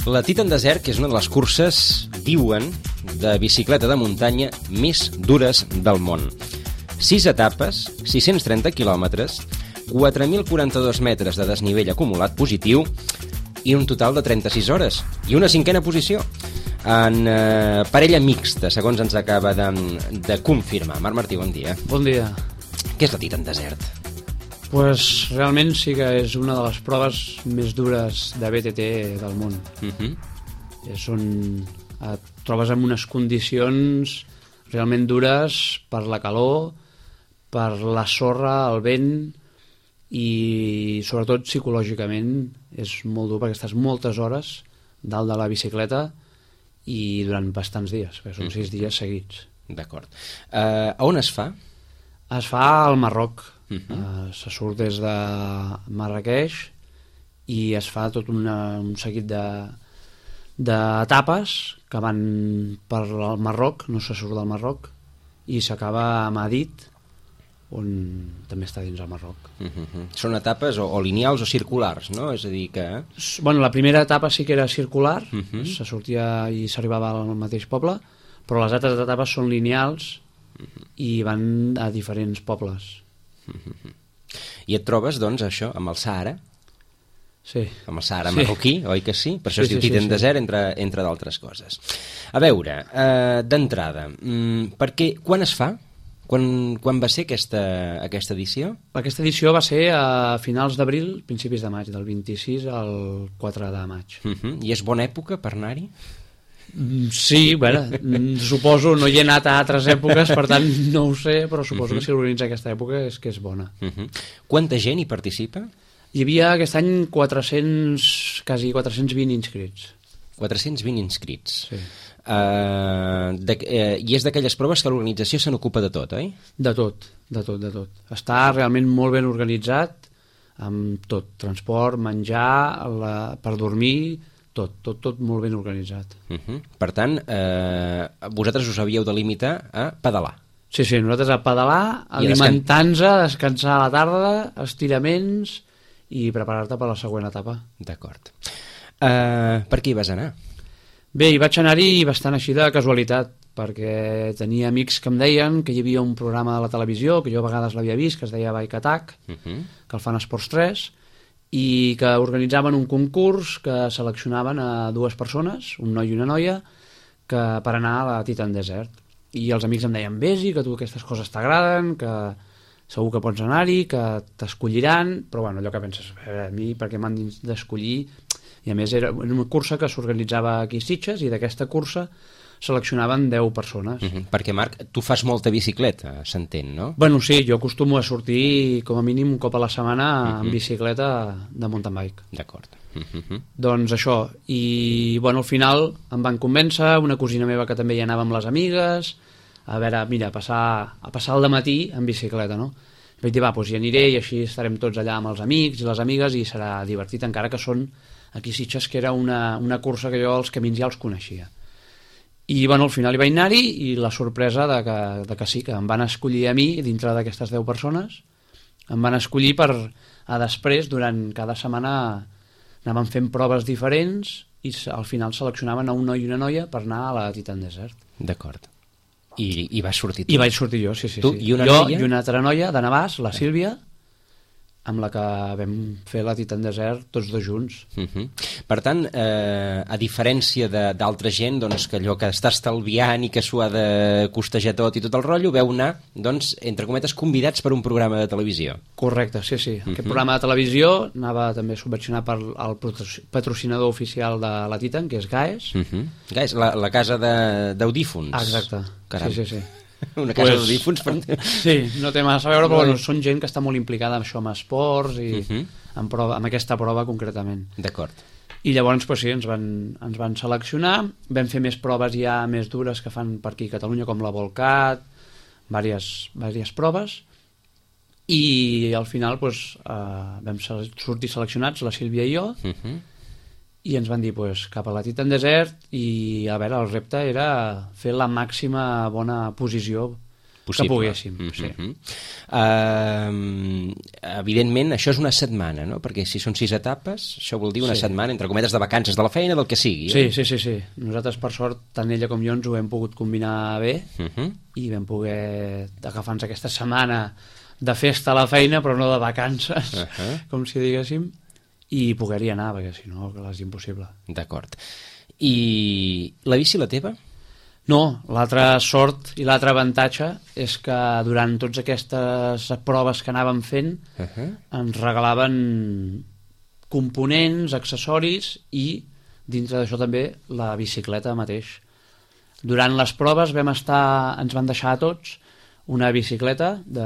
La Titan Desert, que és una de les curses, diuen, de bicicleta de muntanya més dures del món. 6 etapes, 630 quilòmetres, 4.042 metres de desnivell acumulat positiu i un total de 36 hores. I una 5a posició en parella mixta, segons ens acaba de confirmar. Marc Martí, bon dia. Bon dia. Què és la Titan Desert? Pues realment sí que és una de les proves més dures de BTT del món. Et trobes en unes condicions realment dures per la calor, per la sorra, el vent, i sobretot psicològicament és molt dur perquè estàs moltes hores dalt de la bicicleta i durant bastants dies, perquè són 6 dies seguits. D'acord. A on es fa? Es fa al Marroc. Se surt des de Marrakeix i es fa tot un seguit d'etapes que van per al Marroc, no se surt del Marroc, i s'acaba a Madrid, on també està dins el Marroc. Són etapes o lineals o circulars, no? És a dir que... Bueno, la primera etapa sí que era circular, se sortia i s'arribava al mateix poble, però les altres etapes són lineals i van a diferents pobles. I et trobes, doncs, això, amb el Sàhara? Sí. Amb el Sàhara marroquí, oi que sí? Per això es diu Titan Desert, entre d'altres coses. A veure, d'entrada, perquè quan es fa? Quan va ser aquesta edició? Aquesta edició va ser a finals d'abril, principis de maig, del 26 al 4 de maig. I és bona època per anar-hi? Sí, bueno, suposo, no hi he anat a altres èpoques, per tant no ho sé, però suposo que si l'organitza aquesta època és que és bona. Quanta gent hi participa? Hi havia aquest any quasi 420 inscrits. 420 inscrits. Sí. I és d'aquelles proves que l'organització se n'ocupa de tot, oi? De tot. Està realment molt ben organitzat, amb tot, transport, menjar, per dormir, tot molt ben organitzat. Per tant, vosaltres us havíeu de limitar a pedalar. Sí, nosaltres a pedalar, alimentar-nos, descansar a la tarda, estiraments i preparar-te per la següent etapa. D'acord. Per què hi vas anar? Bé, hi vaig anar-hi bastant així de casualitat, perquè tenia amics que em deien que hi havia un programa de la televisió, que jo a vegades l'havia vist, que es deia Bike Attack, que el fan Esports 3, i que organitzaven un concurs que seleccionaven a 2 persones, un noi i una noia, per anar a la Titan Desert. I els amics em deien, vés-hi, que tu aquestes coses t'agraden, que segur que pots anar-hi, que t'escolliran, però bueno, allò que penses, a mi per què m'han d'escollir? I a més era una cursa que s'organitzava aquí a Sitges, i d'aquesta cursa seleccionaven 10 persones. Perquè, Marc, tu fas molta bicicleta, s'entén, no? Bueno, sí, jo acostumo a sortir com a mínim un cop a la setmana en bicicleta de mountain bike. D'acord. Doncs això, i bueno, al final em van convèncer, una cosina meva que també hi anava amb les amigues, a veure, mira, a passar el dematí en bicicleta, no? Vaig dir, doncs hi aniré i així estarem tots allà amb els amics i les amigues i serà divertit, encara que són aquí a Sitges, que era una cursa que jo els camins ja els coneixia. I bueno, al final hi vaig anar-hi i la sorpresa de que sí, que em van escollir a mi dintre d'aquestes 10 persones, em van escollir per a després, durant cada setmana anaven fent proves diferents i al final seleccionaven a un noi i una noia per anar a la Titan Desert. D'acord. I vas sortir tu? I vaig sortir jo, sí. Tu i una jo noia? I una altra noia de Navàs, la Sílvia, amb la que vam fer la Titan Desert tots 2 junts. Per tant, a diferència d'altra gent, doncs, que allò que està estalviant i que s'ho ha de costejar tot i tot el rotllo, veu anar, doncs, entre cometes, convidats per un programa de televisió. Correcte, sí. Aquest programa de televisió anava també subvencionat per el patrocinador oficial de la Titan, que és GAES. GAES, la casa d'audífons. Exacte. Caram. Sí. Una casa d'audífons. Sí, no té massa a veure, però bueno, són gent que està molt implicada en això, amb esports i amb aquesta prova concretament. D'acord. I llavors, pues, sí, ens van seleccionar, vam fer més proves ja més dures que fan per aquí a Catalunya, com la Volcat, diverses proves, i al final pues, vam sortir seleccionats, la Sílvia i jo, i ens van dir pues, cap a la Titan Desert, i a veure, el repte era fer la màxima bona posició possible. Que poguéssim, sí. Evidentment, això és una setmana, no? Perquè si són 6 etapes, això vol dir una setmana, entre cometes, de vacances de la feina, del que sigui. Sí. Nosaltres, per sort, tant ella com jo ens ho hem pogut combinar bé i vam poder agafar-nos aquesta setmana de festa a la feina, però no de vacances, com si diguéssim, i poder-hi anar, perquè si no, és impossible. D'acord. I la bici, la teva? No, l'altra sort i l'altre avantatge és que durant totes aquestes proves que anàvem fent ens regalaven components, accessoris i dintre d'això també la bicicleta mateix. Durant les proves ens van deixar a tots una bicicleta de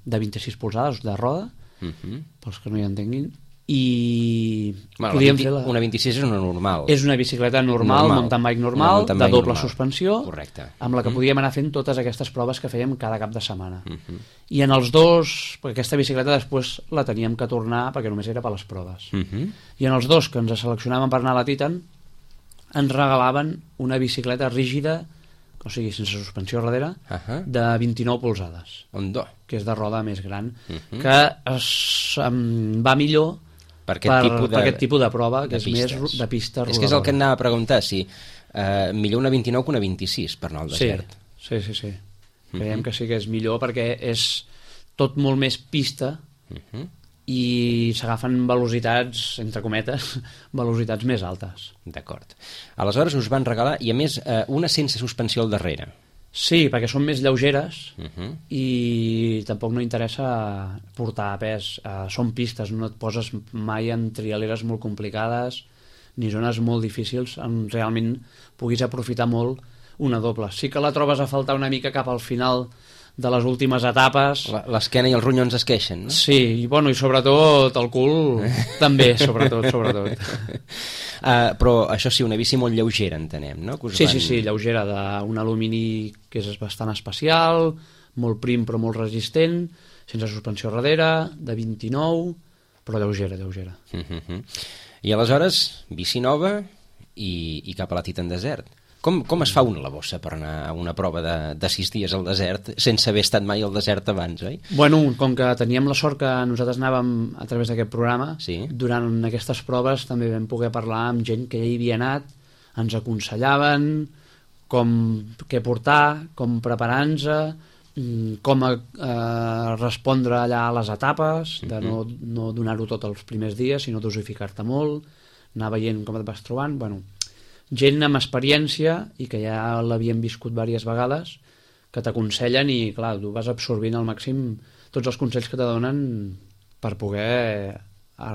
26 polzades de roda, pels que no hi entenguin, i podíem fer una 26 és una normal. És una bicicleta normal. Mountain bike normal, de doble suspensió. Correcte. Amb la que podíem anar fent totes aquestes proves que fèiem cada cap de setmana. I en els dos, perquè aquesta bicicleta després la teníem que tornar perquè només era per les proves. I en els dos que ens seleccionàvem per anar a la Titan ens regalaven una bicicleta rígida, o sigui, sense suspensió darrere, de 29 polzades, que és de roda més gran, que va millor per aquest tipus de prova, que és més de pista rodadora. És que és el que anava a preguntar, si millor una 29 que una 26 per anar al desert. Sí. Creiem que sí que és millor perquè és tot molt més pista i s'agafen velocitats, entre cometes, velocitats més altes. D'acord. Aleshores us van regalar, i a més, una sense suspensió al darrere. Sí, perquè són més lleugeres i tampoc no interessa portar pes. Són pistes, no et poses mai en trialeres molt complicades ni zones molt difícils on realment puguis aprofitar molt una doble. Sí que la trobes a faltar una mica cap al final de les últimes etapes. L'esquena i els ronyons es queixen, no? Sí, i sobretot el cul també, sobretot. Però això sí, una bici molt lleugera, entenem, no? Sí, lleugera, d'un alumini que és bastant especial, molt prim però molt resistent, sense suspensió darrere, de 29, però lleugera. I aleshores, bici nova i cap a la Titan Desert. Com es fa la bossa per anar a una prova de 6 dies al desert sense haver estat mai al desert abans, oi? Bueno, com que teníem la sort que nosaltres anàvem a través d'aquest programa, durant aquestes proves també vam poder parlar amb gent que ja hi havia anat, ens aconsellaven què portar, com preparar-nos, com respondre allà a les etapes, de no donar-ho tot els primers dies, sinó dosificar-te molt, anar veient com et vas trobant, gent amb experiència i que ja l'havien viscut diverses vegades, que t'aconsellen i, clar, tu vas absorbint al màxim tots els consells que te donen per poder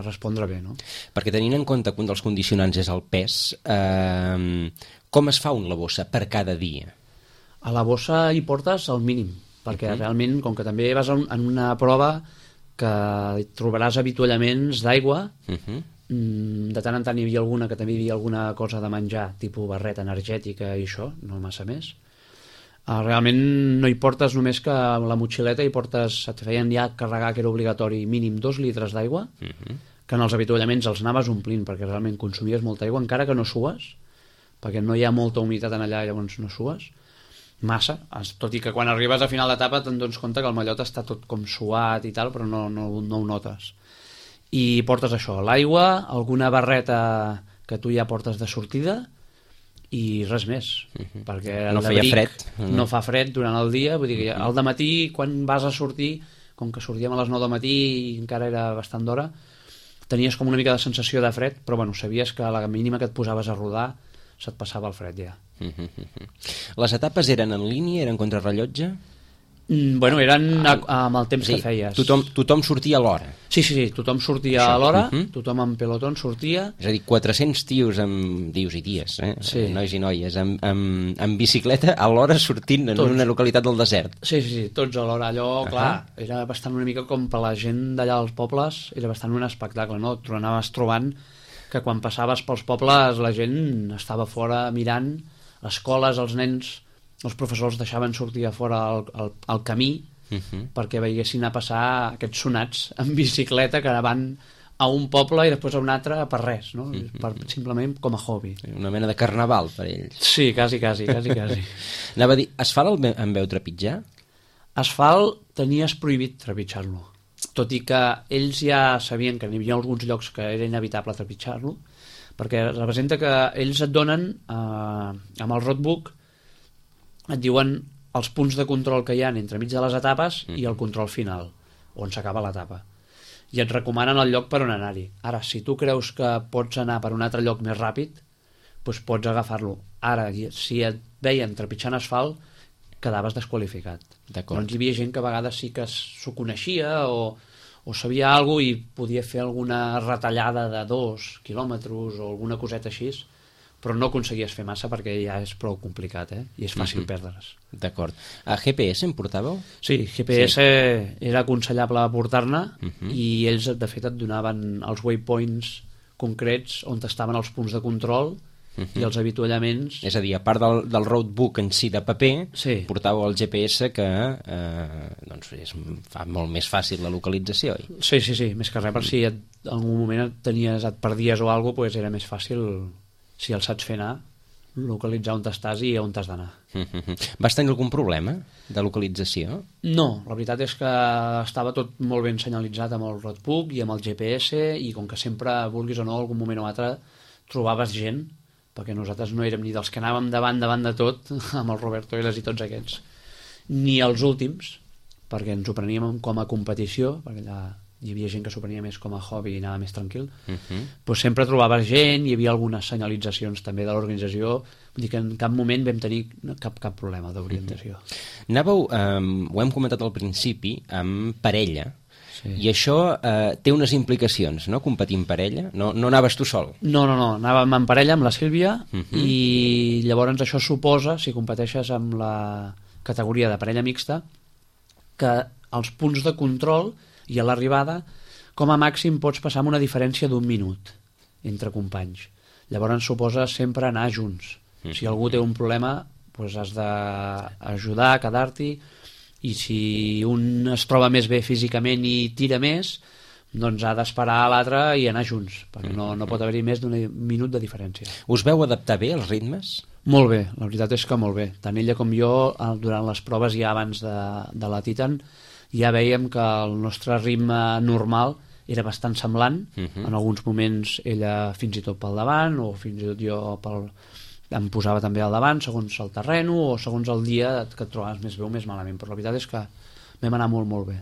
respondre bé, no? Perquè tenint en compte que un dels condicionants és el pes, com es fa la bossa per cada dia? A la bossa hi portes el mínim, perquè realment, com que també vas en una prova que trobaràs avituallaments d'aigua, de tant en tant hi havia alguna que també hi havia alguna cosa de menjar, tipus barreta energètica i això, no massa més. Realment no hi portes només que la motxileta, et feien ja carregar, que era obligatori, mínim 2 litres d'aigua, que en els avituallaments els anaves omplint, perquè realment consumies molta aigua, encara que no sues, perquè no hi ha molta humitat en allà, llavors no sues massa, tot i que quan arribes a final d'etapa te'n dones compte que el mallot està tot com suat i tal, però no ho notes. I portes això, l'aigua, alguna barreta que tu ja portes de sortida i res més, perquè no feia fred. No fa fred durant el dia, vull dir que al dematí, quan vas a sortir, com que sortíem a les 9 del matí i encara era bastant d'hora, tenies com una mica de sensació de fred, però sabies que a la mínima que et posaves a rodar se't passava el fred ja. Les etapes eren en línia, eren contrarrellotge? Eren amb el temps que feies. Tothom sortia a l'hora. Sí, tothom sortia a l'hora, tothom en pelotón sortia. És a dir, 400 tios i ties, nois i noies, amb bicicleta a l'hora sortint en una localitat del desert. Sí, tots a l'hora. Allò, clar, era bastant una mica com per la gent d'allà als pobles, era bastant un espectacle, no? Tu anaves trobant que quan passaves pels pobles la gent estava fora mirant, les escoles, els nens, els professors deixaven sortir a fora al camí perquè veiessin a passar aquests sonats en bicicleta que van a un poble i després a un altre per res, no? Simplement com a hobby. Una mena de carnaval per ells. Sí, quasi. Anava a dir, es fa amb veu trepitjar? Asfalt tenies prohibit trepitjar-lo, tot i que ells ja sabien que n'hi havia alguns llocs que era inevitable trepitjar-lo, perquè representa que ells et donen, amb el roadbook, et diuen els punts de control que hi ha entre mig de les etapes i el control final, on s'acaba l'etapa. I et recomanen el lloc per on anar-hi. Ara, si tu creus que pots anar per un altre lloc més ràpid, doncs pots agafar-lo. Ara, si et veien trepitjant asfalt, quedaves desqualificat. Doncs hi havia gent que a vegades sí que s'ho coneixia o sabia alguna cosa i podia fer alguna retallada de 2 quilòmetres o alguna coseta així, però no aconseguies fer massa perquè ja és prou complicat, i és fàcil perdre's. D'acord. A GPS en portàveu? Sí, GPS era aconsellable portar-ne i ells de fet et donaven els waypoints concrets on estaven els punts de control i els avituallaments. És a dir, a part del roadbook en si de paper, portàveu el GPS que fa molt més fàcil la localització. Sí, més que res, per si en algun moment et perdies o alguna cosa, era més fàcil, si el saps fer anar, localitzar on estàs i on t'has d'anar. Vas tenir algun problema de localització? No, la veritat és que estava tot molt ben senyalitzat amb el roadbook i amb el GPS, i com que sempre, vulguis o no, algun moment o altre trobaves gent, perquè nosaltres no érem ni dels que anàvem davant de tot, amb el Roberto Elas i tots aquests, ni els últims, perquè ens ho preníem com a competició, perquè allà hi havia gent que s'ho prenia més com a hobby i anava més tranquil, doncs sempre trobaves gent, hi havia algunes senyalitzacions també de l'organització, vull dir que en cap moment vam tenir cap problema d'orientació. Anàveu, ho hem comentat al principi, amb parella, i això té unes implicacions, no? Competir en parella? No anaves tu sol? No, anàvem en parella amb la Sílvia i llavors això suposa, si competeixes amb la categoria de parella mixta, que els punts de control i a l'arribada com a màxim pots passar amb una diferència d'1 minut entre companys. Llavors suposa sempre anar junts. Si algú té un problema, doncs has d'ajudar a quedar-t'hi, i si un es troba més bé físicament i tira més, doncs ha d'esperar a l'altre i anar junts, perquè no pot haver-hi més d'un minut de diferència. Us veu adaptar bé als ritmes? Molt bé, la veritat és que molt bé. Tant ella com jo, durant les proves ja abans de la Titan, ja veiem que el nostre ritme normal era bastant semblant. En alguns moments ella fins i tot pel davant, o fins i tot jo em posava també al davant, segons el terreno o segons el dia que et trobaves més bé o més malament, però la veritat és que vam anar molt, molt bé.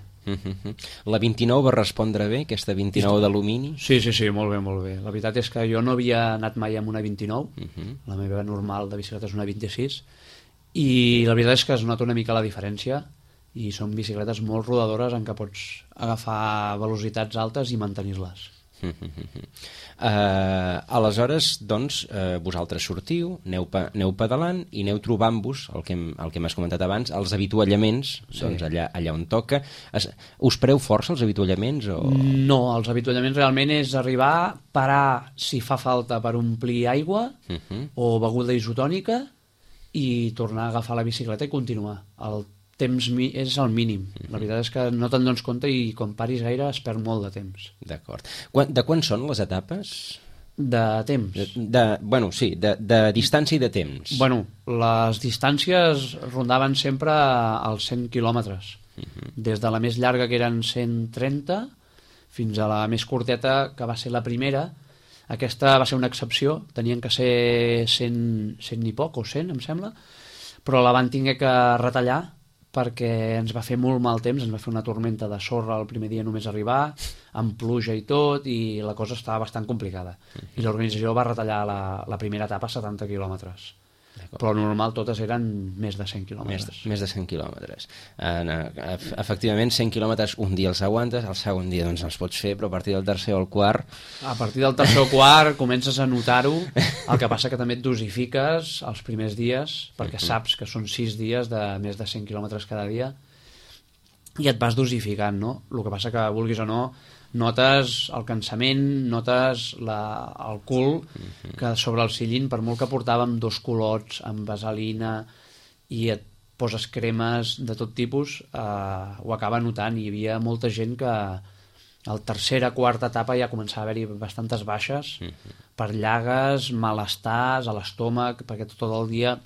La 29 va respondre bé, aquesta 29 d'alumini? Sí, molt bé, molt bé. La veritat és que jo no havia anat mai amb una 29, la meva normal de bicicleta és una 26, i la veritat és que es nota una mica la diferència, i són bicicletes molt rodadores en què pots agafar velocitats altes i mantenir-les. Aleshores, doncs, vosaltres sortiu, aneu pedalant i aneu trobant-vos, el que m'has comentat abans, els avituallaments, doncs allà on toca. Us preu força els avituallaments? No, els avituallaments realment és arribar, parar si fa falta per omplir aigua o beguda isotònica i tornar a agafar la bicicleta i continuar. El temps és el mínim. La veritat és que no te'n dones compte i quan paris gaire es perd molt de temps. D'acord. De quan són les etapes? De temps. De distància i de temps. Bueno, les distàncies rondaven sempre als 100 quilòmetres. Des de la més llarga, que eren 130, fins a la més curteta, que va ser la primera. Aquesta va ser una excepció. Tenien que ser 100 i poc, o 100, em sembla, però la van haver que retallar perquè ens va fer molt mal temps, ens va fer una tormenta de sorra el primer dia només arribar, amb pluja i tot, i la cosa estava bastant complicada. I l'organització va retallar la primera etapa a 70 quilòmetres. Però normal totes eren més de 100 quilòmetres. Més de 100 quilòmetres. Efectivament, 100 quilòmetres un dia els aguantes, el segon dia doncs els pots fer, però a partir del tercer o el quart... A partir del tercer o quart comences a notar-ho, el que passa que també et dosifiques els primers dies, perquè saps que són 6 dies de més de 100 quilòmetres cada dia, i et vas dosificant, no? El que passa que, vulguis o no, notes el cansament, notes el cul, que sobre el sillín, per molt que portàvem 2 culots amb vaselina i et poses cremes de tot tipus, ho acaba notant. Hi havia molta gent que a la tercera, quarta etapa ja començava a haver-hi bastantes baixes per llagues, malestars a l'estómac, perquè tot el dia...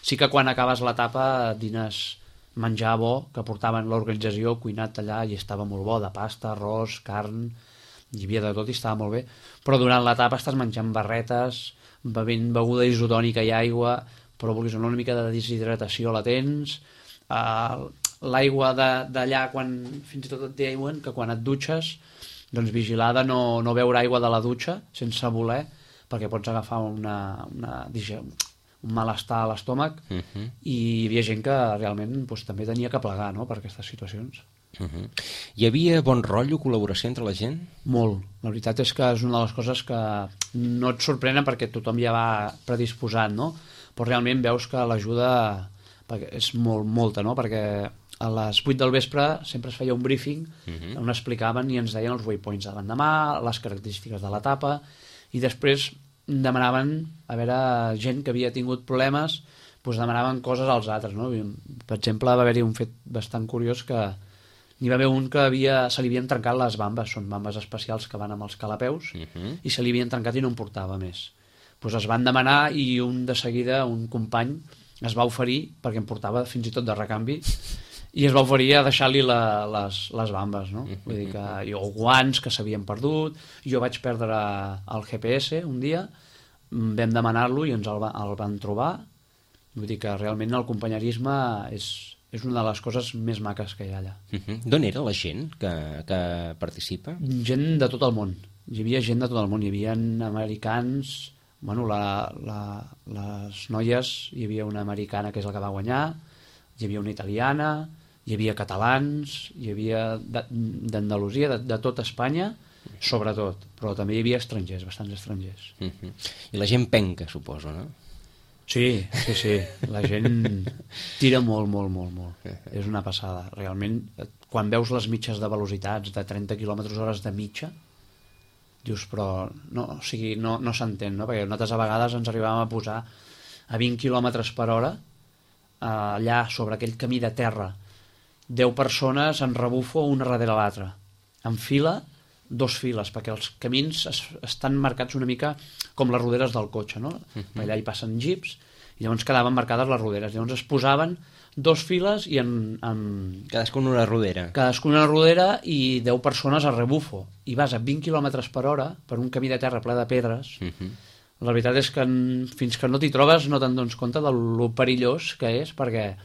Sí que quan acabes l'etapa dines menjar bo que portaven l'organització cuinat allà i estava molt bo, de pasta, arròs, carn, hi havia de tot i estava molt bé, però durant l'etapa estàs menjant barretes, bevent beguda isotònica i aigua, però vulguis una mica de deshidratació la tens, l'aigua d'allà fins i tot et diuen que quan et dutxes doncs vigilar de no beure aigua de la dutxa sense voler perquè pots agafar un malestar a l'estómac i hi havia gent que realment doncs, també tenia que plegar, no?, per aquestes situacions. Hi havia bon rotllo, col·laboració entre la gent? Molt. La veritat és que és una de les coses que no et sorprenen perquè tothom ja va predisposat, no? Però realment veus que l'ajuda és molta, no? Perquè a les 8 del vespre sempre es feia un briefing on explicaven i ens deien els waypoints de l'endemà, les característiques de l'etapa, i després demanaven, a veure, gent que havia tingut problemes, doncs demanaven coses als altres, no? Per exemple, va haver-hi un fet bastant curiós que n'hi va haver un que se li havien trencat les bambes, són bambes especials que van amb els calapeus, i se li havien trencat i no en portava més. Doncs es van demanar i de seguida un company es va oferir, perquè em portava fins i tot de recanvi, i es va oferir a deixar-li les bambes, no? Vull dir que, o guants que s'havien perdut, jo vaig perdre el GPS un dia, vam demanar-lo i ens el van trobar, vull dir que realment el companyerisme és una de les coses més maques que hi ha allà. D'on era la gent que participa? Gent de tot el món, hi havia gent de tot el món, hi havia americans, bueno, les noies, hi havia una americana que és la que va guanyar, hi havia una italiana, hi havia catalans, hi havia d'Andalusia, de tot Espanya, sobretot, però també hi havia estrangers, bastants estrangers. I la gent penca, suposo, no? Sí, la gent tira molt. És una passada. Realment, quan veus les mitges de velocitats de 30 km/h de mitja, dius, però no s'entén, no? Perquè nosaltres a vegades ens arribàvem a posar a 20 km/h allà sobre aquell camí de terra, 10 persones en rebufo una darrere l'altra, en fila, 2 files, perquè els camins estan marcats una mica com les roderes del cotxe, no? Allà hi passen jeeps i llavors quedaven marcades les roderes, llavors es posaven 2 files i cadascuna una rodera. Cadascuna una rodera i 10 persones a rebufo, i vas a 20 km/h per un camí de terra ple de pedres. La veritat és que fins que no t'hi trobes no te'n dones compte de lo perillós que és, perquè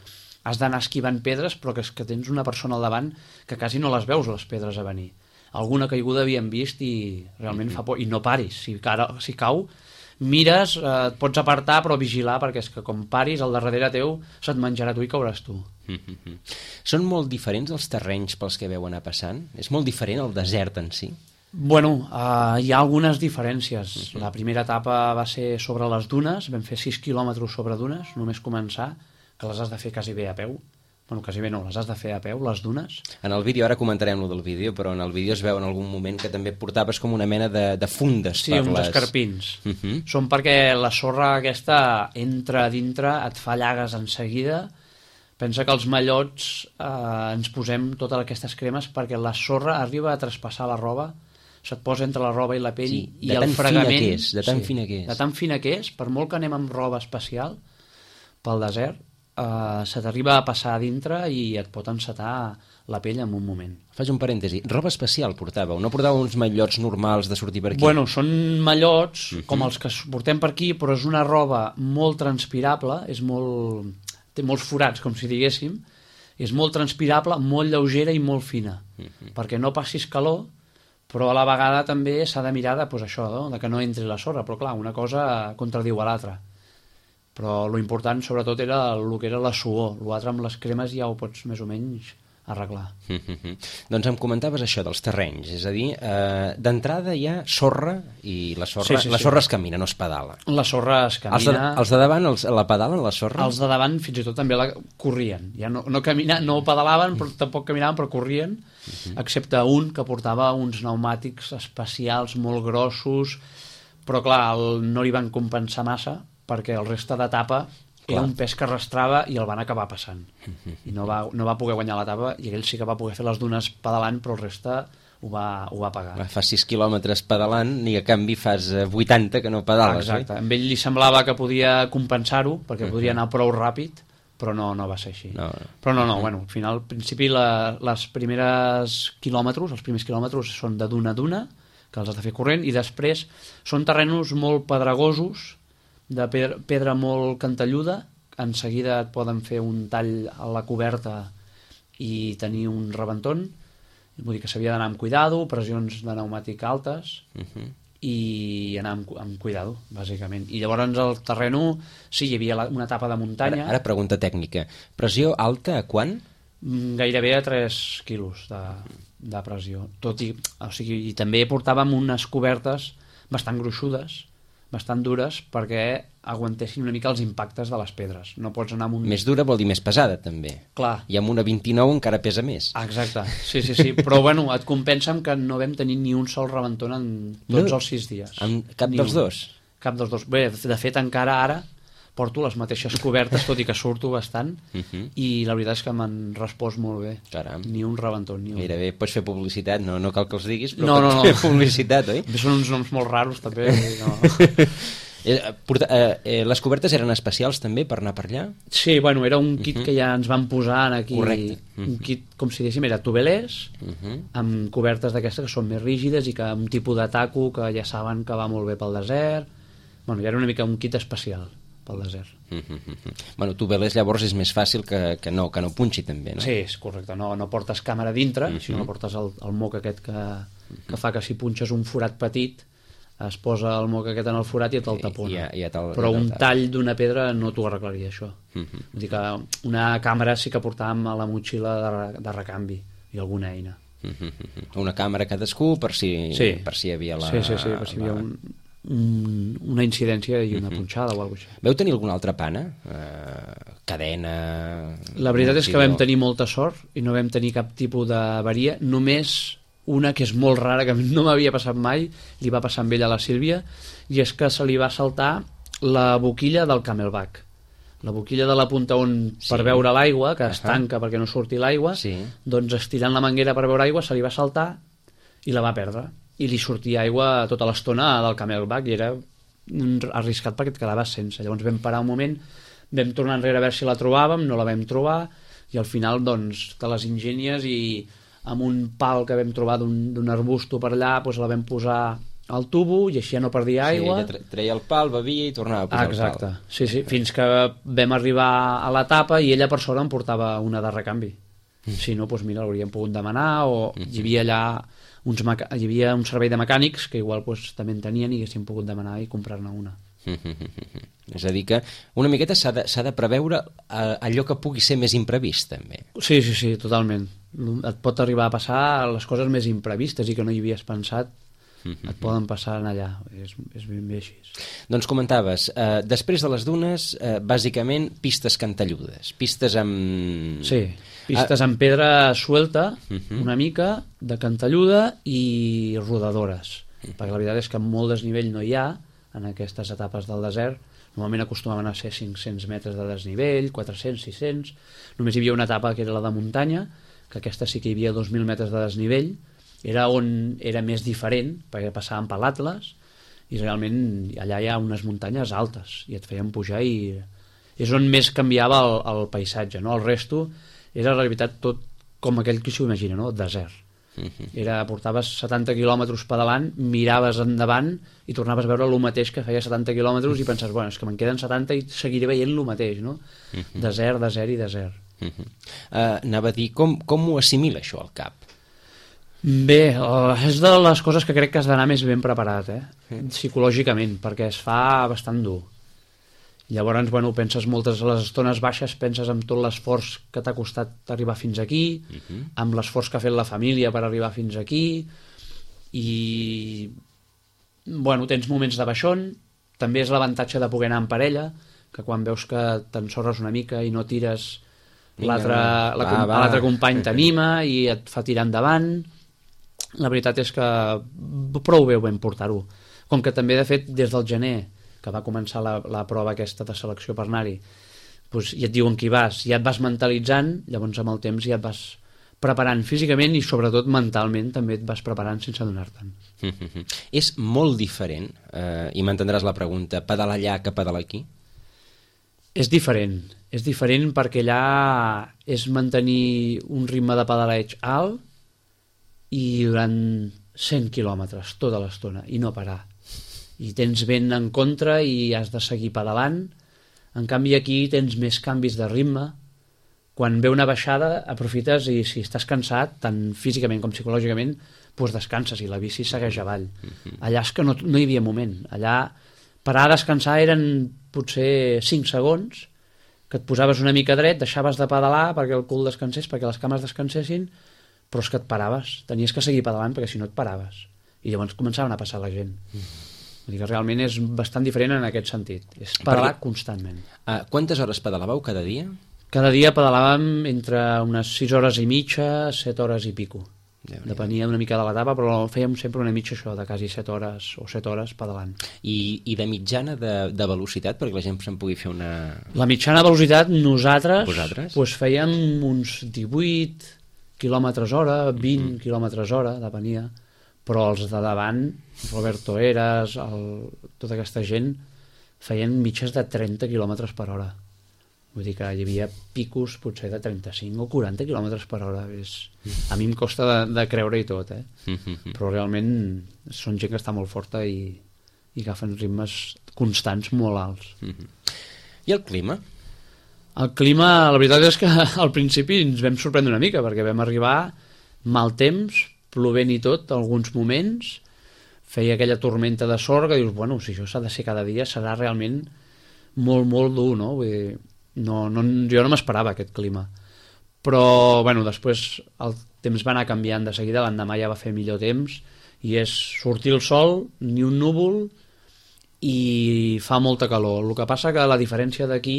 has d'anar esquivant pedres, però que és que tens una persona al davant que quasi no les veus, les pedres a venir. Alguna caiguda havíem vist i realment fa por. I no paris, si cau, mires, et pots apartar, però vigilar, perquè és que com paris, al darrere teu se't menjarà tu i cauràs tu. Són molt diferents els terrenys pels que veu anar passant? És molt diferent el desert en si? Bueno, hi ha algunes diferències. La primera etapa va ser sobre les dunes, vam fer 6 quilòmetres sobre dunes, només començar, que les has de fer quasi bé a peu. Bueno, quasi bé no, les has de fer a peu, les dunes. En el vídeo, ara comentarem lo del vídeo, però en el vídeo es veu en algun moment que també portaves com una mena de fundes. Sí, uns escarpins. Són perquè la sorra aquesta entra a dintre, et fa llagues en seguida. Pensa que els mallots ens posem totes aquestes cremes perquè la sorra arriba a traspassar la roba, se't posa entre la roba i la pell, i el fregament... De tan fina que és. De tan fina que és, per molt que anem amb roba especial pel desert, se t'arriba a passar a dintre i et pot encetar la pell en un moment. Faig un parèntesi. Roba especial portàveu? No portàveu uns mallots normals de sortir per aquí? Bueno, són mallots com els que portem per aquí, però és una roba molt transpirable, té molts forats, com si diguéssim, és molt transpirable, molt lleugera i molt fina, perquè no passis calor, però a la vegada també s'ha de mirar de, això, no? De que no entri la sorra, però clar, una cosa contradiu a l'altra. Però lo important sobretot era el que era la suor, l'altre amb les cremes ja ho pots més o menys arreglar. Doncs em comentaves això dels terrenys, és a dir, d'entrada hi ha sorra i la sorra es camina, no es pedala. La sorra es camina. Els de davant la pedalen, la sorra? Els de davant fins i tot també la corrien, ja no pedalaven, però tampoc caminaven, però corrien, excepte un que portava uns pneumàtics especials molt grossos, però clar, no li van compensar massa, perquè el reste d'etapa era un pes que arrastrava i el van acabar passant. I no va poder guanyar l'etapa, i ell sí que va poder fer les dunes pedalant, però el reste ho va pagar. Fas 6 quilòmetres pedalant i a canvi fas 80 que no pedales. Exacte. Amb ell li semblava que podia compensar-ho, perquè podria anar prou ràpid, però no va ser així. No. Però no, bueno, al final, al principi, els primers quilòmetres són de duna a duna, que els has de fer corrent, i després són terrenys molt pedregosos, de pedra molt cantelluda, en seguida et poden fer un tall a la coberta i tenir un rebentón, vull dir que s'havia d'anar amb cuidado, pressions de pneumàtic altes, i anar amb cuidado, bàsicament. I llavors el terreno, sí, hi havia una etapa de muntanya. Ara pregunta tècnica. Pressió alta a quant? Gairebé a 3 quilos de pressió. I també portàvem unes cobertes bastant gruixudes, bastant dures, perquè aguantessin una mica els impactes de les pedres. No pots anar amb un... Més dura vol dir més pesada, també. Clar. I amb una 29 encara pesa més. Exacte, sí. Però bueno, et compensa amb que no vam tenir ni un sol rebentón en tots els 6 dies. Cap dels dos? Cap dels dos. Bé, de fet, encara ara porto les mateixes cobertes, tot i que surto bastant, i la veritat és que m'han respost molt bé. Caram. Ni un rebentó, ni un. Gairebé pots fer publicitat, no cal que els diguis, però no. Fer publicitat, oi? Són uns noms molt raros, també. No. Les cobertes eren especials també per anar per allà? Sí, bueno, era un kit que ja ens van posar aquí. Correcte. Un kit, com si diguéssim, era tubelers, amb cobertes d'aquestes que són més rígides i que un tipus de taco que ja saben que va molt bé pel desert. Bueno, ja era una mica un kit especial pel desert. Bueno, tubelers llavors és més fàcil que no punxi també, no? Sí, és correcte, no portes càmera dintre, sinó que portes el moc aquest que fa que si punxes un forat petit es posa el moc aquest en el forat i et el tapona. Però un tall d'una pedra no t'ho arreglaria, això. Vull dir que una càmera sí que portàvem a la motxilla de recanvi i alguna eina. Una càmera cadascú per si hi havia la... Sí, per si hi havia una incidència i una punxada o alguna cosa així. Veu tenir alguna altra pana? Cadena... La veritat és que vam tenir molta sort i no vam tenir cap tipus d'avaria, només una que és molt rara, que no m'havia passat mai, li va passar amb ella a la Sílvia, i és que se li va saltar la boquilla del Camelback. La boquilla de la punta on per veure l'aigua, que es tanca perquè no surti l'aigua, doncs estirant la manguera per veure aigua se li va saltar i la va perdre. I li sortia aigua tota l'estona del Camelback i era arriscat perquè et quedaves sense. Llavors vam parar un moment, vam tornar enrere a veure si la trobàvem, no la vam trobar, i al final doncs te les ingenies i amb un pal que vam trobar d'un arbusto per allà doncs la vam posar al tubo i així ja no perdia aigua. Sí, treia el pal, bevia i tornava a posar el pal. Exacte, sí, fins que vam arribar a l'etapa i ella per sort em portava una de recanvi. Si no, doncs mira, l'hauríem pogut demanar, o hi havia allà hi havia un servei de mecànics que igual també en tenien i haguéssim pogut demanar i comprar-ne una. És a dir que una miqueta s'ha de preveure allò que pugui ser més imprevist també. Sí, totalment. Et pot arribar a passar les coses més imprevistes i que no hi havies pensat, et poden passar allà, és ben bé així. Doncs comentaves, després de les dunes, bàsicament pistes cantelludes, pistes amb... Sí, pistes amb pedra suelta, una mica, de cantelluda i rodadores, perquè la veritat és que molt desnivell no hi ha en aquestes etapes del desert. Normalment acostumaven a ser 500 metres de desnivell, 400, 600, només hi havia una etapa que era la de muntanya, que aquesta sí que hi havia 2.000 metres de desnivell, era on era més diferent, perquè passàvem per l'Atles, i realment allà hi ha unes muntanyes altes, i et feien pujar i és on més canviava el paisatge, no? El resto era en realitat tot com aquell que s'ho imagina, no? Desert. Portaves 70 quilòmetres pedalant, miraves endavant i tornaves a veure el mateix que feia 70 quilòmetres i penses, bueno, és que me'n queden 70 i seguiré veient el mateix, no? Desert, desert i desert. Anava a dir, com ho assimila això al cap? Bé, és de les coses que crec que has d'anar més ben preparat, psicològicament, perquè es fa bastant dur. Llavors, bueno, penses moltes a les estones baixes, penses en tot l'esforç que t'ha costat arribar fins aquí, amb l'esforç que ha fet la família per arribar fins aquí, i bueno, tens moments de baixón, també és l'avantatge de poder anar en parella, que quan veus que t'ensorres una mica i no tires, l'altre company t'anima i et fa tirar endavant. La veritat és que prou bé ho vam portar-ho. Com que també, de fet, des del gener, que va començar la prova aquesta de selecció per anar-hi, doncs ja et diuen que hi vas, ja et vas mentalitzant, llavors amb el temps ja et vas preparant físicament i sobretot mentalment també et vas preparant sense adonar-te'n. És molt diferent, i m'entendràs la pregunta, pedalar allà que pedalar aquí? És diferent perquè allà és mantenir un ritme de pedaleig alt i durant 100 quilòmetres tota l'estona i no parar. I tens vent en contra i has de seguir pedalant. En canvi aquí tens més canvis de ritme. Quan ve una baixada aprofites i si estàs cansat, tant físicament com psicològicament, doncs descanses i la bici segueix avall. Allà és que no hi havia moment. Allà parar a descansar eren potser 5 segons, que et posaves una mica dret, deixaves de pedalar perquè el cul descansés, perquè les cames descansessin, però és que et paraves. Tenies que seguir pedalant perquè si no et paraves. I llavors començaven a passar la gent. Vull dir que realment és bastant diferent en aquest sentit. És pedalar constantment. Quantes hores pedalàveu cada dia? Cada dia pedalàvem entre unes 6 hores i mitja, 7 hores i pico. Depenia una mica de l'etapa, però fèiem sempre una mitja això, de quasi 7 hores o 7 hores pedalant. I de mitjana de velocitat, perquè la gent se'n pugui fer una... La mitjana velocitat nosaltres Vosaltres? Fèiem uns 18 quilòmetres hora, 20 quilòmetres hora, depenia, però els de davant, Roberto Eras, tota aquesta gent, feien mitges de 30 quilòmetres per hora. Vull dir que hi havia picos potser de 35 o 40 quilòmetres per hora. A mi em costa de creure-hi tot, però realment són gent que està molt forta i agafen ritmes constants molt alts. I el clima? El clima, la veritat és que al principi ens vam sorprendre una mica, perquè vam arribar mal temps, plovent i tot, alguns moments, feia aquella tormenta de sorra que dius, bueno, si això s'ha de ser cada dia serà realment molt, molt dur, no? Vull dir, jo no m'esperava aquest clima, però bueno, després el temps va anar canviant de seguida, l'endemà ja va fer millor temps i és sortir el sol, ni un núvol i fa molta calor. El que passa que la diferència d'aquí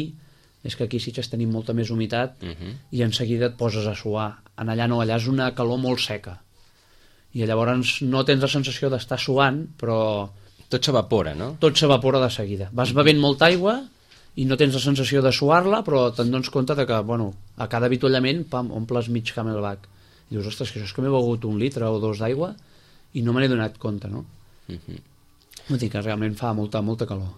és que aquí sí que tenim molta més humitat i en seguida et poses a suar. En allà no, allà és una calor molt seca i llavors no tens la sensació d'estar suant, però tot s'evapora, no? Tot s'evapora de seguida. Vas bevent molta aigua i no tens la sensació de suar-la, però te'n dones compte de que, bueno, a cada avituallament, pam, omples mig Camelback. I dius, ostres, que això és que m'he begut 1 litre o 2 d'aigua i no me n'he donat compte, no? Vull dir que realment fa molta, molta calor.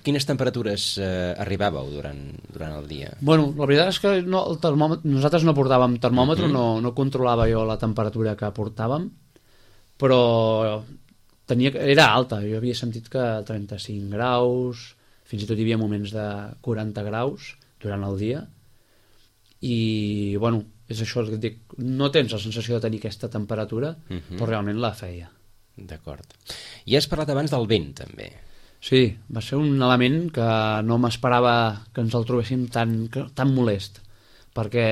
Quines temperatures arribàveu durant el dia? Bueno, la veritat és que nosaltres no portàvem termòmetre, no controlava jo la temperatura que portàvem, però era alta. Jo havia sentit que 35 graus... Fins i tot hi havia moments de 40 graus durant el dia i, bueno, és això el que et dic, no tens la sensació de tenir aquesta temperatura, però realment la feia. D'acord. I has parlat abans del vent, també. Sí, va ser un element que no m'esperava que ens el trobéssim tan molest, perquè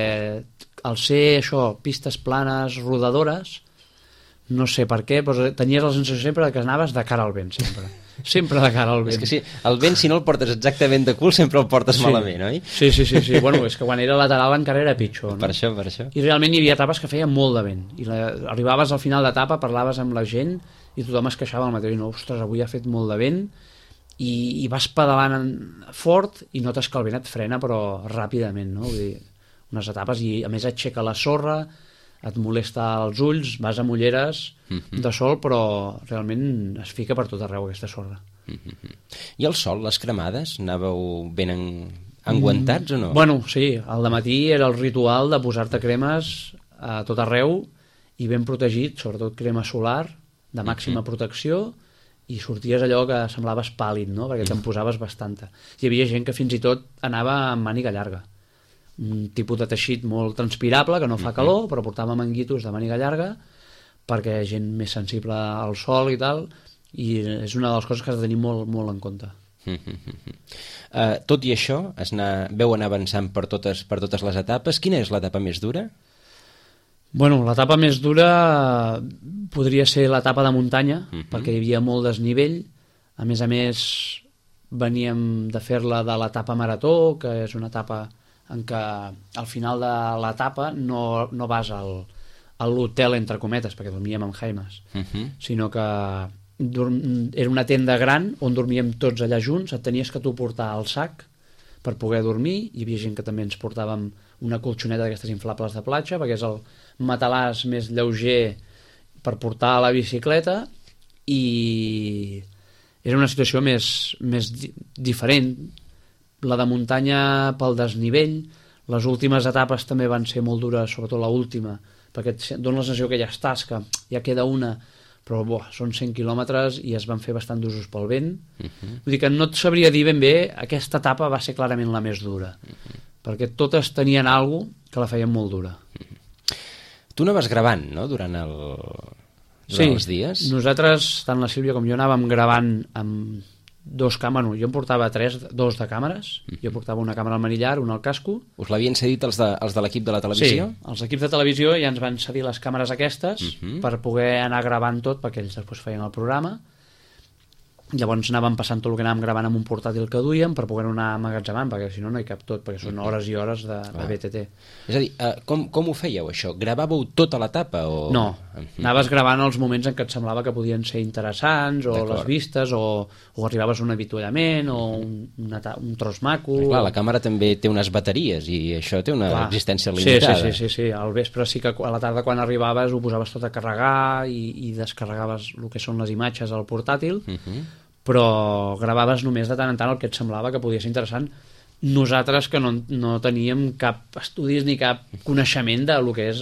al ser això, pistes planes, rodadores, no sé per què, però tenies la sensació sempre que anaves de cara al vent, sempre de cara al vent. És que sí, el vent si no el portes exactament de cul sempre el portes malament, oi? Sí. Bueno, és que quan era lateral encara era pitjor, no? Per això. I realment hi havia etapes que feien molt de vent i arribaves al final d'etapa, parlaves amb la gent i tothom es queixava al matí, no, ostres, avui ha fet molt de vent i vas pedalant fort i notes que el vent et frena però ràpidament, no? Vull dir, unes etapes i a més aixeca la sorra, et molesta els ulls, vas amb ulleres de sol, però realment es fica per tot arreu aquesta sorra. I el sol, les cremades, anàveu ben enguantats o no? Bueno, sí, al dematí era el ritual de posar-te cremes a tot arreu i ben protegit, sobretot crema solar de màxima protecció, i sorties allò que semblaves pàl·lid, no? Perquè te'n posaves bastanta. Hi havia gent que fins i tot anava amb màniga llarga, un tipus de teixit molt transpirable que no fa calor, però portava manguitos de màniga llarga perquè hi ha gent més sensible al sol i tal, i és una de les coses que has de tenir molt, molt en compte. Tot i això, veu anar avançant per totes les etapes. Quina és l'etapa més dura? Bueno, l'etapa més dura podria ser l'etapa de muntanya, perquè hi havia molt desnivell. A més, veníem de fer-la de l'etapa marató, que és una etapa en què al final de l'etapa no vas a l'hotel, entre cometes, perquè dormíem amb Jaimes, sinó que era una tenda gran on dormíem tots allà junts, et tenies que tu portar el sac per poder dormir, hi havia gent que també ens portàvem una colxoneta d'aquestes inflables de platja, perquè és el matalàs més lleuger per portar a la bicicleta, i era una situació més diferent, la de muntanya pel desnivell, les últimes etapes també van ser molt dures, sobretot l'última, perquè et dona la sensació que ja estàs, que ja queda una, però són 100 quilòmetres i es van fer bastant d'usos pel vent. Vull dir que no et sabria dir ben bé, aquesta etapa va ser clarament la més dura, perquè totes tenien alguna cosa que la feien molt dura. Tu anaves gravant, no?, durant els dies? Sí, nosaltres, tant la Sílvia com jo, anàvem gravant amb dos càmeres. Jo em portava dos de càmeres, jo portava una càmera al manillar, una al casco. Us l'havien cedit els de l'equip de la televisió? Sí, els equips de televisió ja ens van cedir les càmeres aquestes per poder anar gravant tot, perquè ells després feien el programa. Llavors anàvem passant tot el que anàvem gravant amb un portàtil que duíem per poder anar emmagatzemant, perquè si no, no hi cap tot, perquè són hores i hores de BTT. És a dir, com ho fèieu, això? Gravàveu tota l'etapa? No, anaves gravant els moments en què et semblava que podien ser interessants, o les vistes, o arribaves a un avituallament, o un tros maco... Clar, la càmera també té unes bateries, i això té una existència limitada. Sí. Al vespre sí que a la tarda, quan arribaves, ho posaves tot a carregar i descarregaves el que són les imatges al portàtil, però gravaves només de tant en tant el que et semblava que podia ser interessant. Nosaltres, que no teníem cap estudis ni cap coneixement de lo que és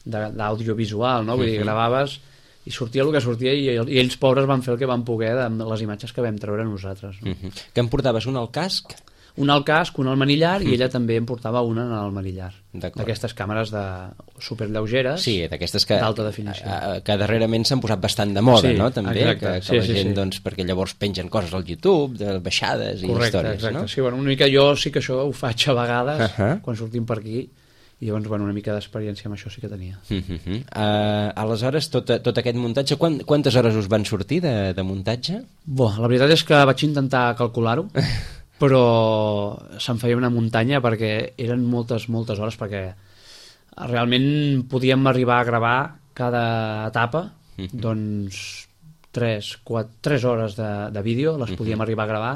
d'audiovisual, no? Vull dir, gravaves i sortia el que sortia i ells, pobres, van fer el que van poder de les imatges que vam treure nosaltres. No? Que em portaves una al casc? Una al casc, una al manillar, i ella també em portava una al manillar. D'aquestes càmeres superlleugeres, sí, d'aquestes que d'alta definició. Que darrerament s'han posat bastant de moda, no? També, exacte, que la gent, doncs, perquè llavors pengen coses al YouTube, de baixades i històries, exacte. No? Sí, bueno, una mica jo sí que això ho faig a vegades, quan sortim per aquí, i llavors, bueno, una mica d'experiència amb això sí que tenia. Aleshores, tot aquest muntatge, quantes hores us van sortir de muntatge? La veritat és que vaig intentar calcular-ho, però se'n feia una muntanya perquè eren moltes hores, perquè realment podíem arribar a gravar cada etapa, doncs 3 hores de vídeo les podíem arribar a gravar,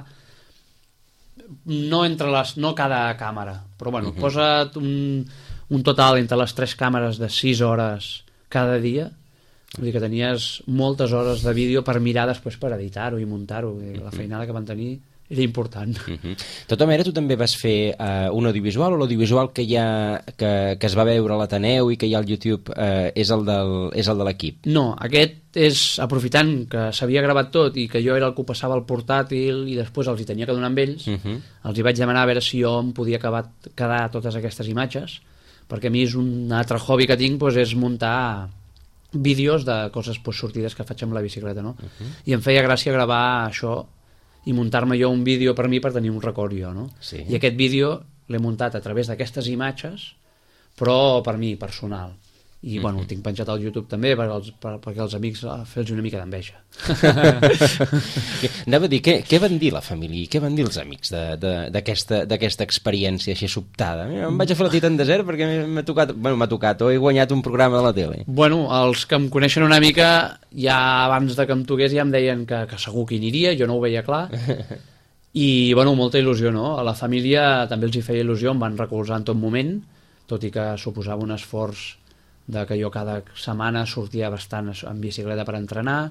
no cada càmera, però bueno, posa't un total entre les 3 càmeres de 6 hores cada dia. Vull dir que tenies moltes hores de vídeo per mirar després, per editar-ho i muntar-ho. La feinada que van tenir era important. De tota manera, tu també vas fer un audiovisual, o l'audiovisual que es va veure a l'Ateneu i que hi ha al YouTube és el de l'equip? No, aquest és, aprofitant que s'havia gravat tot i que jo era el que ho passava al portàtil i després els hi tenia que donar amb ells, els hi vaig demanar a veure si jo em podia quedar totes aquestes imatges, perquè a mi és un altre hobby que tinc, és muntar vídeos de coses sortides que faig amb la bicicleta, no? I em feia gràcia gravar això i muntar-me jo un vídeo per mi per tenir un record jo, no? Sí. I aquest vídeo l'he muntat a través d'aquestes imatges, però per mi, personal. I bueno, ho tinc penjat al YouTube també perquè els amics fer-los una mica d'enveja. Anava a dir, què van dir la família i què van dir els amics d'aquesta experiència així sobtada? Em vaig a fer la Titan Desert perquè m'ha tocat o he guanyat un programa de la tele. Bueno, els que em coneixen una mica, ja abans de que em toqués ja em deien que segur que hi aniria, jo no ho veia clar. I bueno, molta il·lusió, no? A la família també els hi feia il·lusió, em van recolzar en tot moment, tot i que suposava un esforç de que jo cada setmana sortia bastant en bicicleta per entrenar,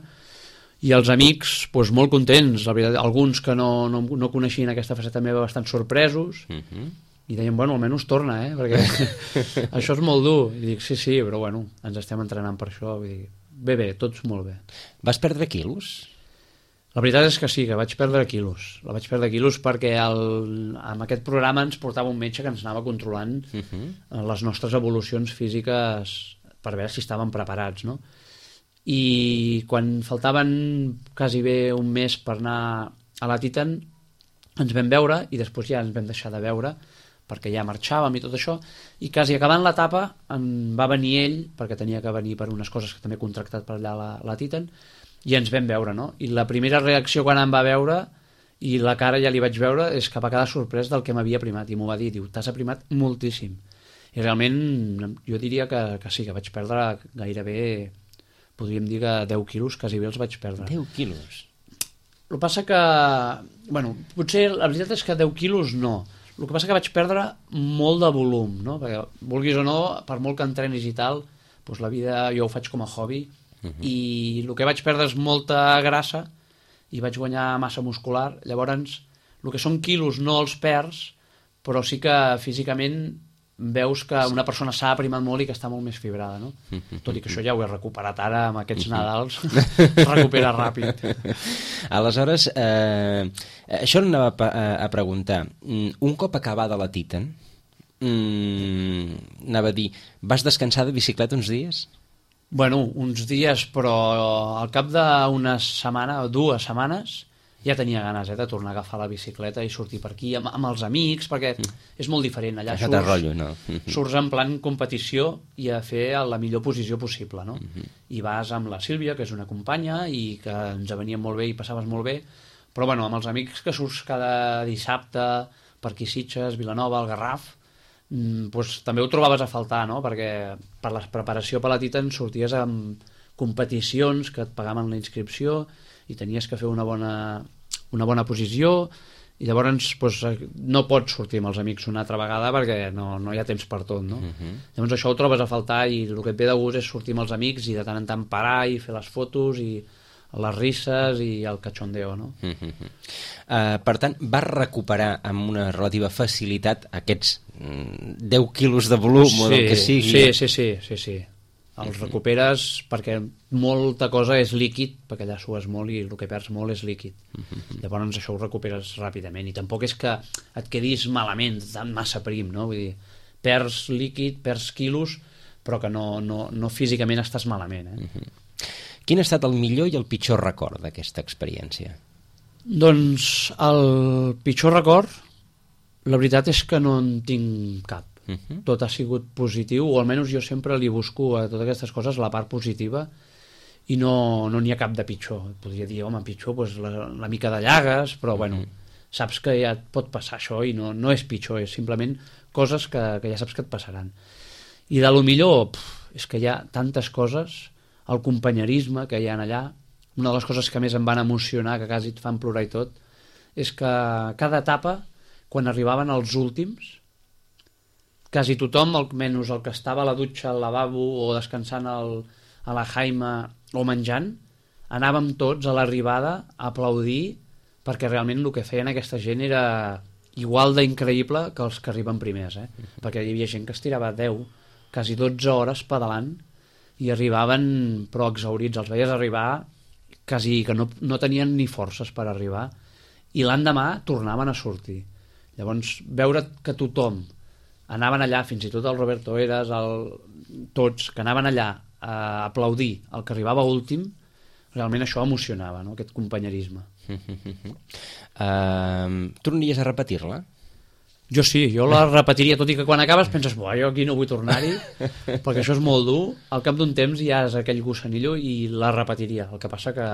i els amics molt contents, la veritat, alguns que no coneixien aquesta faceta meva bastant sorpresos, i deien, bueno, almenys torna, perquè això és molt dur. I dic, sí, però bueno, ens estem entrenant per això. Vull dir, bé, tots molt bé. Vas perdre quilos? La veritat és que sí, que vaig perdre quilos. La vaig perdre quilos perquè amb aquest programa ens portava un metge que ens anava controlant les nostres evolucions físiques per veure si estàvem preparats, no? I quan faltaven quasi bé un mes per anar a la Titan, ens vam veure i després ja ens vam deixar de veure perquè ja marxàvem i tot això, i quasi acabant l'etapa va venir ell, perquè tenia que venir per unes coses que també he contractat per allà a la Titan, i ens vam veure, no? I la primera reacció quan em va veure, i la cara ja li vaig veure, és que va quedar sorprès del que m'havia aprimat, i m'ho va dir, diu, t'has aprimat moltíssim. I realment jo diria que sí, que vaig perdre gairebé, podríem dir que 10 quilos, quasi bé els vaig perdre. 10 quilos? El que passa que, bueno, potser la veritat és que 10 quilos no. El que passa que vaig perdre molt de volum, no? Perquè, vulguis o no, per molt que entrenis i tal, doncs la vida jo ho faig com a hobby, i el que vaig perdre és molta grassa i vaig guanyar massa muscular. Llavors el que són quilos no els perds, però sí que físicament veus que una persona s'ha aprimat molt i que està molt més fibrada, no? Tot i que això ja ho he recuperat ara amb aquests Nadals, es recupera ràpid. Aleshores, això anava a preguntar. Un cop acabada la Titan, anava a dir, vas descansar de bicicleta uns dies? Bueno, uns dies, però al cap d'una setmana o 2 setmanes ja tenia ganes de tornar a agafar la bicicleta i sortir per aquí amb els amics, perquè és molt diferent. Allà surts en plan competició i a fer la millor posició possible, no? I vas amb la Sílvia, que és una companya, i que ens venia molt bé i passaves molt bé, però bueno, amb els amics que surts cada dissabte per aquí Sitges, Vilanova, el Garraf, doncs també ho trobaves a faltar, no? Perquè per la preparació per la Titan sorties amb competicions que et pagaven la inscripció i tenies que fer una bona posició, i llavors doncs, no pots sortir amb els amics una altra vegada perquè no hi ha temps per tot, no? Llavors això ho trobes a faltar, i el que et ve de gust és sortir amb els amics i de tant en tant parar i fer les fotos i les risses i el cachondeo, no? Per tant, vas recuperar amb una relativa facilitat aquests 10 quilos de volum o del que sigui? Sí. Els recuperes perquè molta cosa és líquid, perquè allà sues molt i el que perds molt és líquid. Llavors això ho recuperes ràpidament, i tampoc és que et quedis malament, tan massa prim, no? Vull dir, perds líquid, perds quilos, però que no físicament estàs malament, Quin ha estat el millor i el pitjor record d'aquesta experiència? Doncs el pitjor record, la veritat és que no en tinc cap. Tot ha sigut positiu, o almenys jo sempre li busco a totes aquestes coses la part positiva, i no n'hi ha cap de pitjor. Podria dir, home, pitjor, doncs la mica de llagues, però bueno, saps que ja et pot passar això i no és pitjor, és simplement coses que ja saps que et passaran. I de lo millor, és que hi ha tantes coses, el companyerisme que hi ha allà. Una de les coses que més em van emocionar, que quasi et fan plorar i tot, és que cada etapa, quan arribaven els últims, quasi tothom, almenys el que estava a la dutxa, al lavabo o descansant a la Jaima o menjant, anàvem tots a l'arribada a aplaudir, perquè realment el que feien aquesta gent era igual d'increïble que els que arriben primers, perquè hi havia gent que es tirava 10, quasi 12 hores pedalant, i arribaven però exhaurits, els veies arribar quasi que no tenien ni forces per arribar, i l'endemà tornaven a sortir. Llavors, veure que tothom anaven allà, fins i tot el Roberto Eras, tots, que anaven allà a aplaudir el que arribava últim, realment això emocionava, no? Aquest companyerisme. Tornaries a repetir-la? Jo sí, jo la repetiria, tot i que quan acabes penses, jo aquí no vull tornar-hi, perquè això és molt dur. Al cap d'un temps ja és aquell gossanillo i la repetiria. El que passa que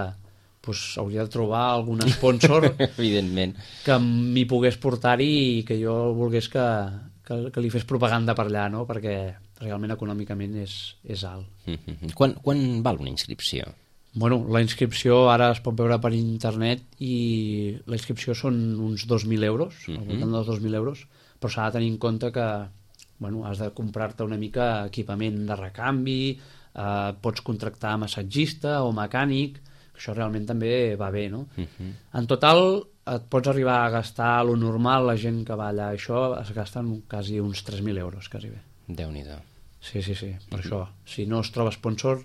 hauria de trobar algun sponsor evidentment, que m'hi pogués portar-hi i que jo volgués que li fes propaganda per allà, no? Perquè realment econòmicament és alt. Quan val una inscripció? Bueno, la inscripció ara es pot veure per internet i la inscripció són uns 2.000 euros, al voltant dels 2.000 euros, però s'ha de tenir en compte que has de comprar-te una mica equipament de recanvi, pots contractar massatgista o mecànic, que això realment també va bé, no? En total et pots arribar a gastar lo normal, la gent que va allà, això es gasten quasi uns 3.000 euros, quasi bé. Déu-n'hi-do. Sí, per això. Si no es troba sponsor,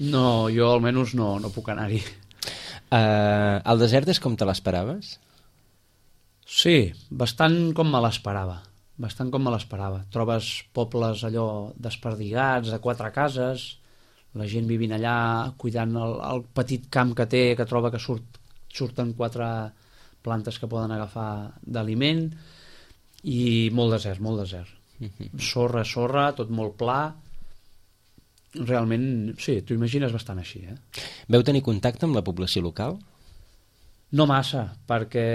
jo almenys no puc anar-hi. El desert és com te l'esperaves? Sí, bastant com me l'esperava. Trobes pobles allò desperdigats, de 4 cases, la gent vivint allà, cuidant el petit camp que té, que troba que surten 4 plantes que poden agafar d'aliment, i molt desert. Sorra, tot molt pla. Realment, sí, t'ho imagines bastant així. Veu tenir contacte amb la població local? No massa, perquè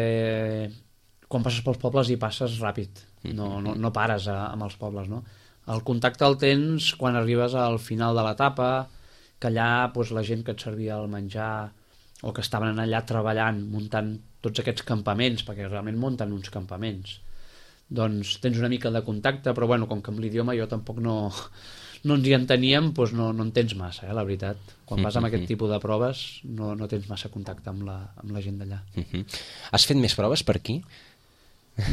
quan passes pels pobles hi passes ràpid, no pares amb els pobles, no? El contacte el tens quan arribes al final de l'etapa, que allà la gent que et servia el menjar o que estaven allà treballant, muntant tots aquests campaments, perquè realment munten uns campaments, doncs tens una mica de contacte, però bueno, com que amb l'idioma jo tampoc no ens hi enteníem, doncs no en tens massa, la veritat. Quan vas amb aquest tipus de proves no tens massa contacte amb la gent d'allà. Has fet més proves per aquí?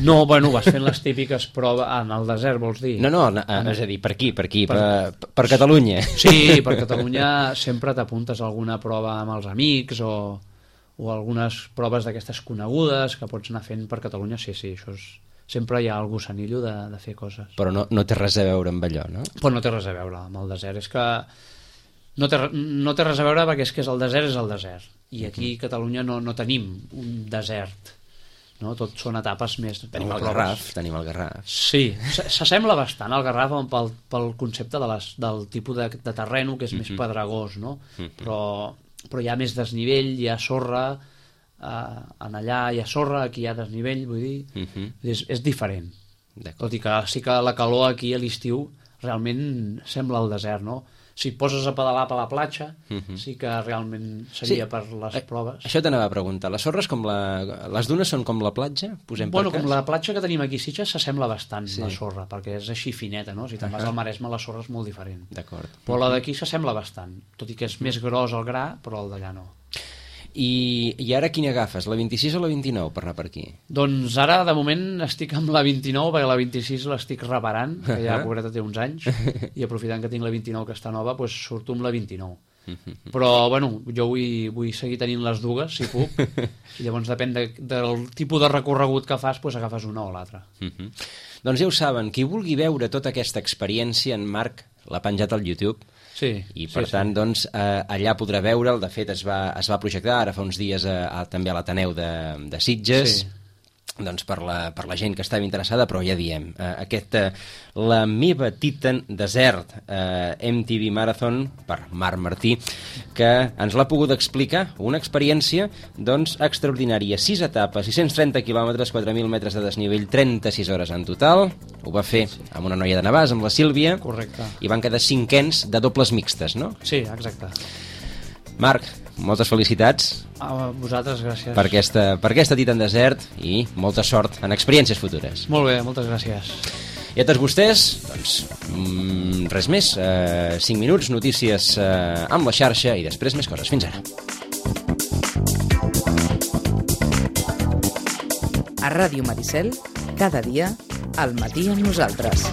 No, bueno, vas fent les típiques proves... en el desert, vols dir? No, és a dir, per aquí, per Catalunya. Sí, per Catalunya sempre t'apuntes a alguna prova amb els amics o algunes proves d'aquestes conegudes que pots anar fent per Catalunya, sí, això és... Sempre hi ha el gossanillo de fer coses. Però no té res a veure amb allò, no? Però no té res a veure amb el desert. És que no té res a veure perquè és que el desert és el desert. I aquí a Catalunya no tenim un desert. No? Tot són etapes més... Tenim el Garraf. Sí, s'assembla bastant al Garraf pel concepte del tipus de terreno que és més pedregós, no? Però hi ha més desnivell, hi ha sorra... en allà hi ha sorra, aquí hi ha desnivell, vull dir, és diferent. Tot i que sí que la calor aquí a l'estiu realment sembla el desert, no? Si et poses a pedalar per la platja, sí que realment seria per les proves. Això t'anava a preguntar, les sorres les dunes són com la platja? Bueno, com la platja que tenim aquí a Sitges s'assembla bastant la sorra, perquè és així fineta, no? Si te'n vas al Maresme la sorra és molt diferent. Però la d'aquí s'assembla bastant, tot i que és més gros el gra, però el d'allà no. I ara quina agafes, la 26 o la 29 per anar per aquí? Doncs ara de moment estic amb la 29 perquè la 26 l'estic reparant, que ja pobreta té uns anys, i aprofitant que tinc la 29 que està nova, doncs surto amb la 29. Però bueno, jo vull seguir tenint les dues si puc, i llavors depèn del tipus de recorregut que fas, doncs agafes una o l'altra. Doncs ja ho saben, qui vulgui veure tota aquesta experiència, en Marc l'ha penjat al YouTube. Sí, i per tant doncs, allà podrà veure'l. De fet es va projectar ara fa uns dies també a l'Ateneu de Sitges, doncs per la gent que estava interessada, però ja diem, la meva Titan Desert MTV Marathon per Marc Martí, que ens l'ha pogut explicar, una experiència doncs extraordinària, 6 etapes, 630 quilòmetres, 4.000 metres de desnivell, 36 hores en total. Ho va fer amb una noia de Navàs, amb la Sílvia. Correcte. I van quedar 5ens de dobles mixtes, no? Sí, exacte. Marc, moltes felicitats. A vosaltres, gràcies. Per aquesta Titan Desert i molta sort en experiències futures. Molt bé, moltes gràcies. I a tots vostès, doncs, res més. 5 minuts, notícies amb la xarxa i després més coses. Fins ara. A Ràdio Maricel, cada dia, al matí amb nosaltres.